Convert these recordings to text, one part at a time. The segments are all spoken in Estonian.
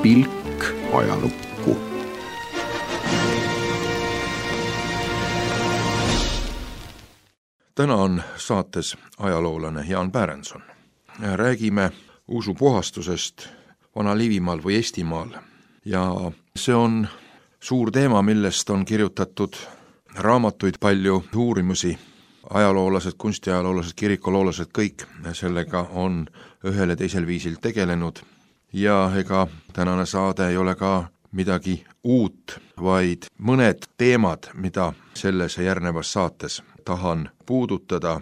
pilk ajalukku. Täna on saates ajaloolane Jaan Pärenson. Räägime usupuhastusest Vana-Liivimaal või Eestimaal. Ja see on suur teema, millest on kirjutatud raamatuid, palju uurimusi. Ajaloolased, kunstiajaloolased, kirikoloolased, kõik sellega on ühel ja teisel viisil tegelenud. Ja ega tänane saade ei ole ka midagi uut, vaid mõned teemad, mida selles järgnevas saates tahan puudutada.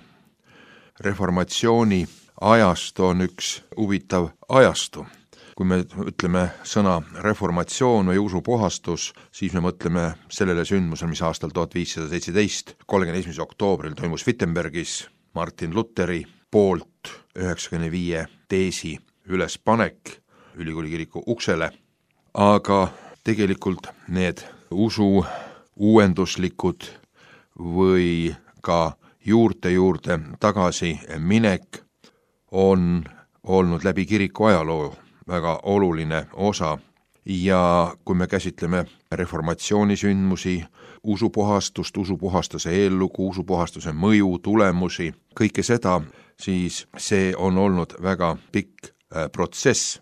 Reformatsiooni ajastu on üks huvitav ajastu. Kui me ütleme sõna reformatsioon või usupuhastus, siis me mõtleme sellele sündmusele, mis aastal 1517, 31. oktoobril toimus Wittenbergis Martin Lutheri poolt 95 teesi ülespanek ülikooli kiriku uksele. Aga tegelikult need usu uuenduslikud või ka juurde tagasi minek on olnud läbi kiriku ajaloo väga oluline osa. Ja kui me käsitleme reformatsiooni sündmusi, usupuhastust, usupuhastuse eellugu, usupuhastuse mõju, tulemusi, kõike seda, siis see on olnud väga pikk protsess.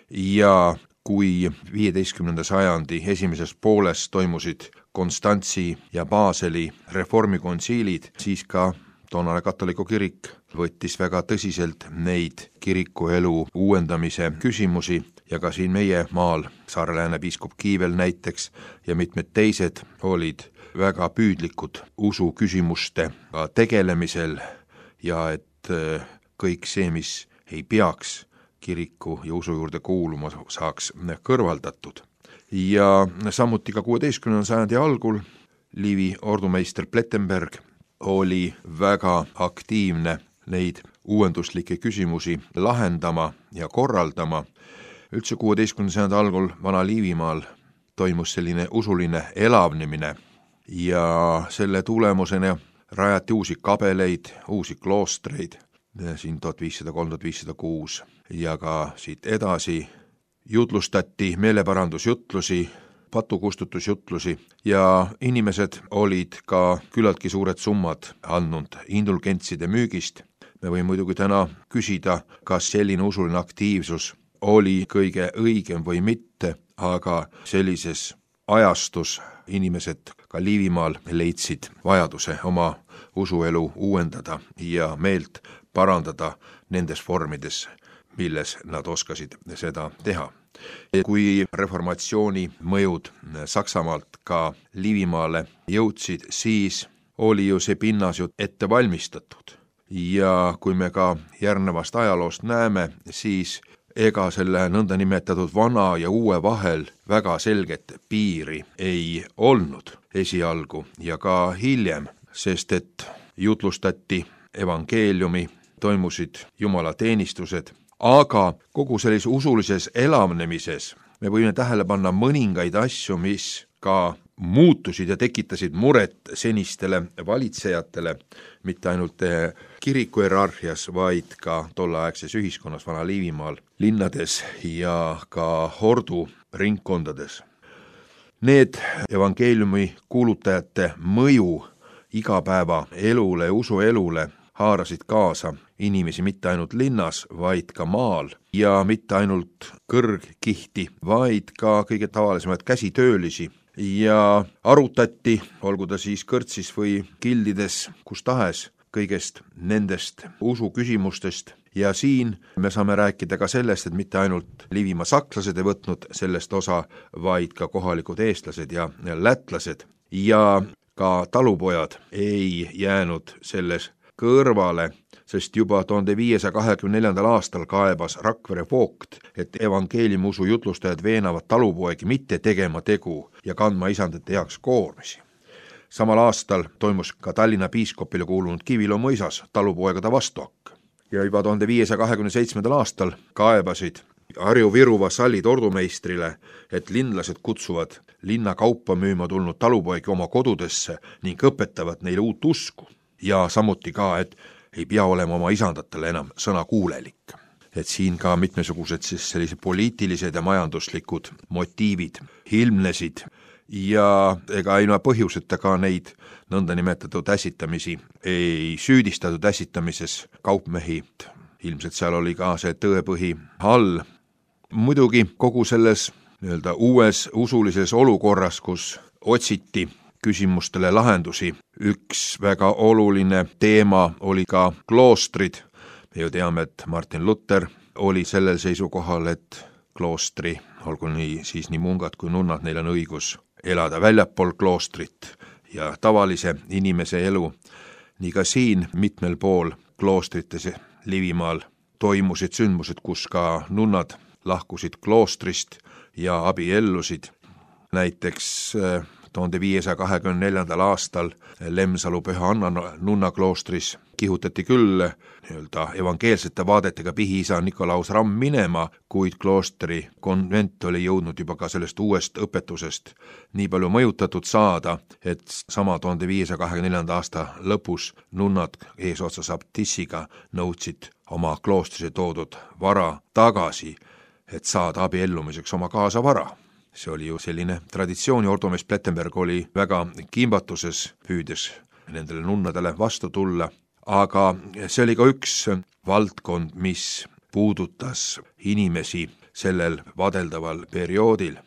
Ja kui 15. sajandi esimeses pooles toimusid Konstantsi ja Baseli reformikonsiilid, siis ka toonane katoliku kirik võttis väga tõsiselt neid kirikuelu uuendamise küsimusi ja ka siin meie maal Saare-Lääne piiskop Kiivel näiteks ja mitmed teised olid väga püüdlikud usu küsimuste tegelemisel ja et kõik see, mis ei peaks kiriku ja usu juurde kuuluma, saaks kõrvaldatud. Ja samuti ka 16. sajandi algul Liivi ordumeister Plettenberg oli väga aktiivne neid uuenduslikke küsimusi lahendama ja korraldama. Üldse 16. sajandi algul Vana-Liivimaal toimus selline usuline elavnemine ja selle tulemusena rajati uusi kabeleid, uusi kloostreid, siin 1503-1506 ja ka siit edasi jutlustati meeleparandusjutlusi, patukustutusjutlusi ja inimesed olid ka küllaltki suured summad andnud indulgentside müügist. Me võime muidugi täna küsida, kas selline usuline aktiivsus oli kõige õigem või mitte, aga sellises ajastus inimesed ka Liivimaal leidsid vajaduse oma usuelu uuendada ja meelt parandada nendes vormides, milles nad oskasid seda teha. Kui reformatsiooni mõjud Saksamaalt ka Liivimaale jõudsid, siis oli ju see pinnas ju ette valmistatud. Ja kui me ka järgnevast ajaloost näeme, siis ega selle nõnda nimetatud vana ja uue vahel väga selget piiri ei olnud esialgu ja ka hiljem, sest et jutlustati evangeeliumi, toimusid jumalateenistused, aga kogu sellises usulises elavnemises me võime tähele panna mõningaid asju, mis ka muutusid ja tekitasid muret senistele valitsejatele, mitte ainult kiriku hierarhias, vaid ka tolleaegses ühiskonnas Vana-Liivimaal, linnades ja ka ordu ringkondades. Need evangeeliumi kuulutajate mõju igapäeva elule ja usuelule haarasid kaasa inimesi mitte ainult linnas, vaid ka maal ja mitte ainult kõrgkihti, vaid ka kõige tavalisemaid käsitöölisi ja arutati, olgu ta siis kõrtsis või kildides, kus tahes, kõigest nendest usuküsimustest. Ja siin me saame rääkida ka sellest, et mitte ainult Liivimaa sakslased ei võtnud sellest osa, vaid ka kohalikud eestlased ja lätlased ja ka talupojad ei jäänud selles kõrvale, sest juba 1524. aastal kaebas Rakvere voogt, et evangeeliumiusu jutlustajad veenavad talupoegi mitte tegema tegu ja kandma isandate heaks koormisi. Samal aastal toimus ka Tallinna piiskopile kuulunud Kiviloo mõisas talupoegade vastuhakk. Ja juba 1527. aastal kaebasid Harju-Viru vasallid ordumeistrile, et linlased kutsuvad linna kaupa müüma tulnud talupoegi oma kodudesse ning õpetavad neile uut usku. Ja samuti ka, et ei pea olema oma isandatele enam sõnakuulelik. et siin ka mitmesugused siis sellised poliitilised ja majanduslikud motiivid ilmnesid ja ega ilma põhjuseta ka neid nõndanimetatud ässitamisi ei süüdistatud ässitamises kaupmehi. Ilmselt seal oli ka see tõepõhi all. Muidugi kogu selles uues usulises olukorras, kus otsiti küsimustele lahendusi, üks väga oluline teema oli ka kloostrid. Me ju teame, et Martin Luther oli sellel seisukohal, et kloostri, olgu nii mungad kui nunnad, neil on õigus elada väljapool kloostrit ja tavalise inimese elu. Nii ka siin mitmel pool kloostrites Liivimaal toimusid sündmused, kus ka nunnad lahkusid kloostrist ja abiellusid. Näiteks 1524. aastal Lemsalu Püha Anna nunna kloostris kihutati küll evangeelsete vaadetega pihiisa Nikolaus Ramm minema, kuid kloostri konvent oli jõudnud juba ka sellest uuest õpetusest nii palju mõjutatud saada, et sama 1524. aasta lõpus nunnad eesotsas abtissiga nõudsid oma kloostrisse toodud vara tagasi, et saada abiellumiseks oma kaasavara. See oli ju selline traditsioon ja ordomees Plettenberg oli väga kimbatuses, püüdes nendele nunnadele vastu tulla, aga see oli ka üks valdkond, mis puudutas inimesi sellel vadeldaval perioodil.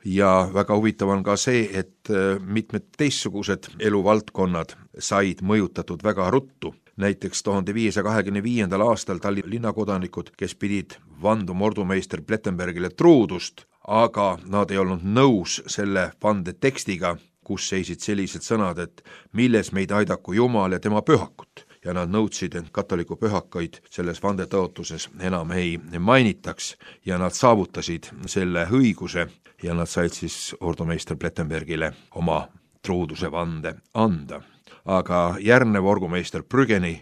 Ja väga huvitav on ka see, et mitmed teistsugused eluvaldkonnad said mõjutatud väga ruttu. Näiteks 1525. aastal Tallinna linnakodanikud, kes pidid vanduma ordumeister Plettenbergile truudust, aga nad ei olnud nõus selle vande tekstiga, kus seisid sellised sõnad, et milles meid aidaku Jumal ja tema pühakut. Ja nad nõudsid, et katoliku pühakaid selles vandetõotuses enam ei mainitaks ja nad saavutasid selle õiguse ja nad said siis ordumeister Plettenbergile oma truuduse vande anda. Aga järgnev orgumeister Brügeni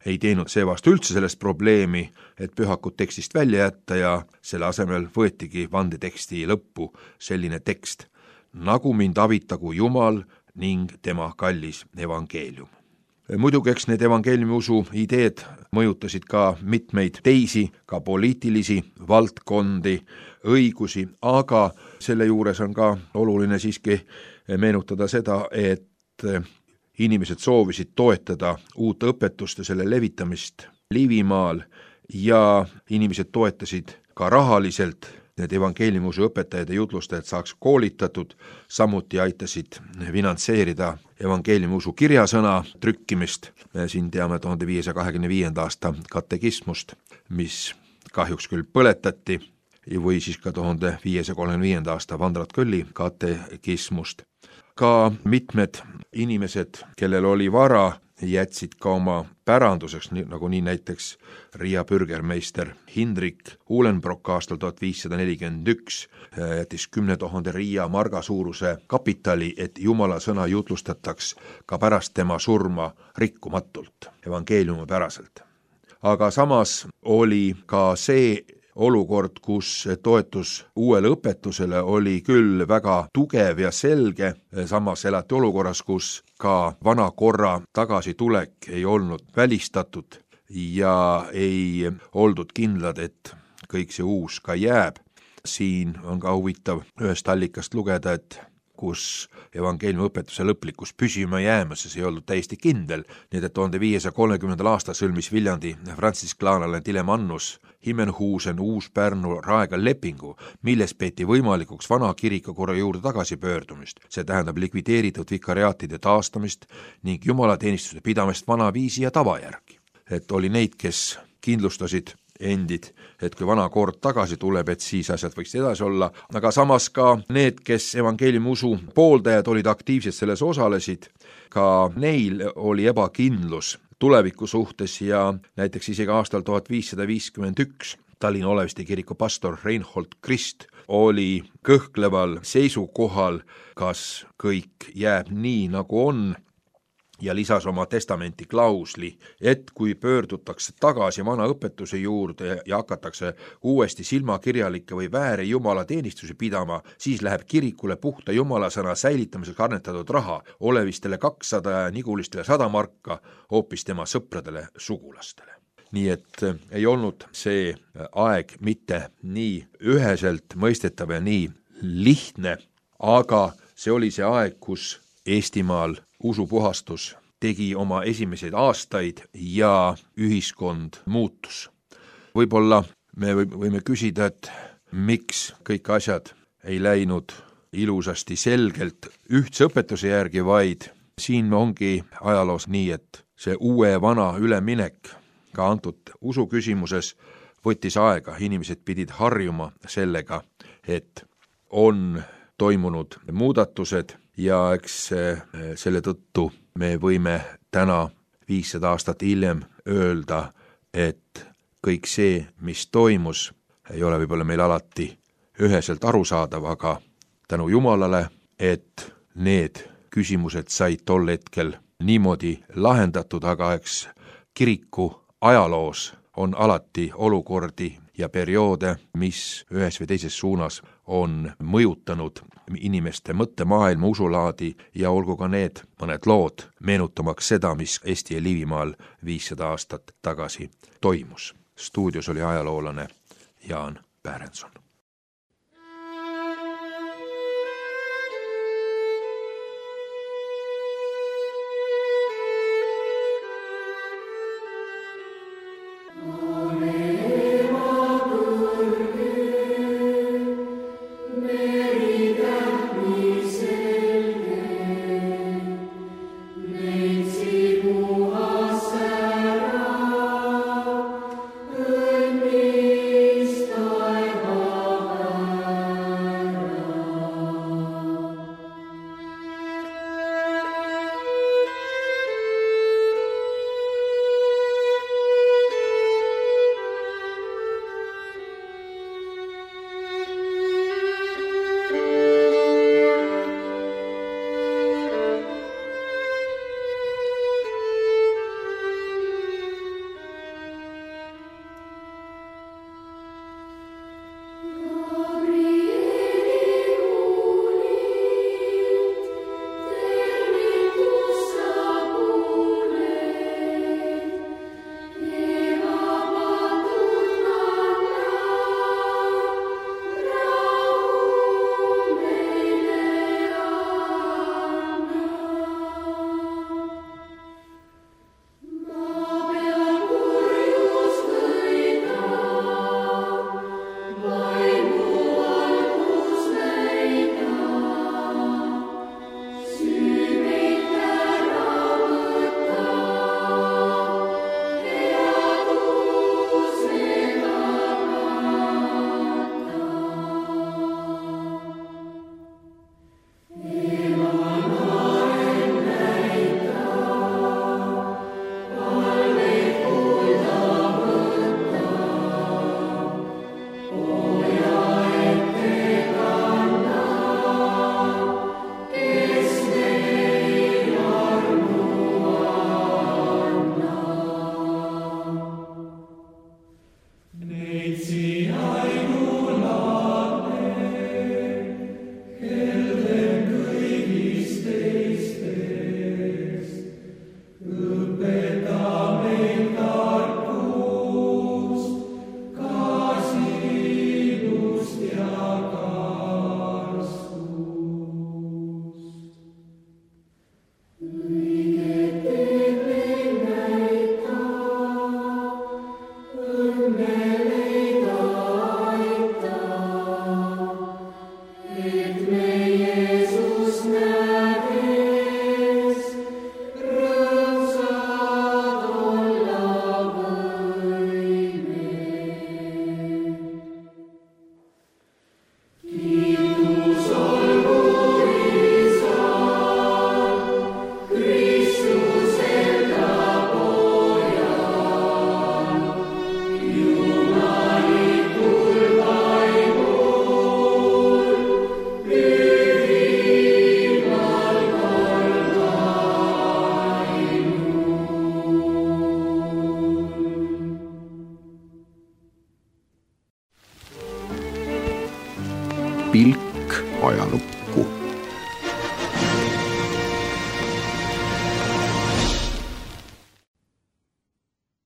ei teinud seevast üldse sellest probleemi, et pühakut tekstist välja jätta ja selle asemel võetigi vandeteksti lõppu selline tekst, nagu mind avitagu Jumal ning tema kallis evangeelium. Muidugi eks need evangeeliumi usu ideed mõjutasid ka mitmeid teisi, ka poliitilisi valdkondi, õigusi, aga selle juures on ka oluline siiski meenutada seda, et inimesed soovisid toetada uut õpetust ja selle levitamist Liivimaal ja inimesed toetasid ka rahaliselt need evangeeliumusu õpetajad ja jutlustajad saaks koolitatud, samuti aitasid finantseerida evangeeliumusu kirjasõna trükkimist. Me siin teame 1525. aasta katekismust, mis kahjuks küll põletati, või siis ka 1535. aasta Vandrat Kölli katekismust. Ka mitmed inimesed, kellel oli vara, jätsid ka oma päranduseks, nagu nii näiteks Riia bürgermeister Hindrik Uhlenbrock aastal 1541 jättis 10 000 Riia marga suuruse kapitali, et Jumala sõna jutlustataks ka pärast tema surma rikkumatult, evangeeliumi päraselt. Aga samas oli ka see olukord, kus toetus uuele õpetusele oli küll väga tugev ja selge, samas elati olukorras, kus ka vana korra tagasitulek ei olnud välistatud ja ei oldud kindlad, et kõik see uus ka jääb. Siin on ka huvitav ühest allikast lugeda, et kus evangeeliumi õpetuse lõplikus püsima jäämas, see ei olnud täiesti kindel, nii et 1530. aastal sõlmis Viljandi frantsisklaanlane Dilemannus Himmenhuusen Uus-Pärnu Raegal lepingu, milles peeti võimalikuks vana kirikukorra juurde tagasipöördumist. See tähendab likvideeritud vikariaatide taastamist ning jumalateenistuse pidamist vana viisi ja tava järgi. Et oli neid, kes kindlustasid endid, et kui vana kord tagasi tuleb, et siis asjad võiks edasi olla, aga samas ka need, kes evangeeliumi usu pooldajad olid aktiivsed selles osalesid, ka neil oli ebakindlus tuleviku suhtes ja näiteks isegi aastal 1551 Tallinna Oleviste kiriku pastor Reinhold Krist oli kõhkleval seisukohal, kas kõik jääb nii, nagu on, ja lisas oma testamenti klausli, et kui pöördutakse tagasi vana õpetuse juurde ja hakatakse uuesti silmakirjalikke või vääre jumalateenistusi pidama, siis läheb kirikule puhta jumalasõna säilitamiseks annetatud raha, Olevistele 200 ja Nigulistele 100 marka, hoopis tema sõpradele sugulastele. nii et ei olnud see aeg mitte nii üheselt mõistetav ja nii lihtne, aga see oli see aeg, kus Eestimaal usupuhastus tegi oma esimesed aastaid ja ühiskond muutus. Võib-olla me võime küsida, et miks kõik asjad ei läinud ilusasti selgelt ühtse õpetuse järgi, vaid siin ongi ajaloos nii, et see uue ja vana üleminek ka antud usu küsimuses võttis aega, inimesed pidid harjuma sellega, et on toimunud muudatused ja eks selle tõttu me võime täna 500 aastat hiljem öelda, et kõik see, mis toimus, ei ole võib-olla meil alati üheselt arusaadav, aga tänu Jumalale, et need küsimused said tol hetkel niimoodi lahendatud, aga eks kiriku ajaloos on alati olukordi ja perioode, mis ühes või teises suunas on mõjutanud inimeste mõttemaailma, usulaadi ja olgu ka need mõned lood meenutamaks seda, mis Eesti ja Liivimaal 500 aastat tagasi toimus. Stuudios oli ajaloolane Jaan Pärenson. pilk ajalukku.